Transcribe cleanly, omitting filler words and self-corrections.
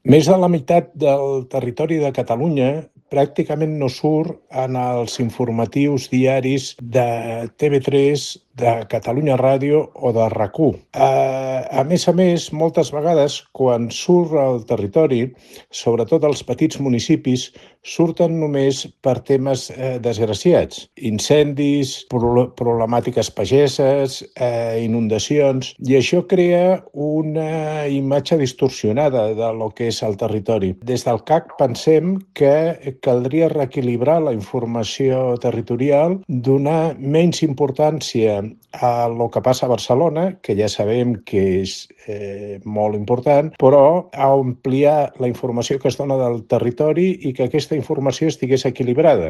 Més de la meitat del territori de Catalunya pràcticament no surt en els informatius diaris de TV3, de Catalunya Ràdio o de RAC1. A més, moltes vegades, quan surt al territori, sobretot als petits municipis, surten només per temes desgraciats. Incendis, problemàtiques pageses, inundacions, i això crea una imatge distorsionada de lo que és el territori. Des del CAC pensem que caldria reequilibrar la informació territorial, donar menys importància a lo que passa a Barcelona, que ja sabem que és molt important, però ampliar la informació que es dona del territori i que aquesta informació estigués equilibrada.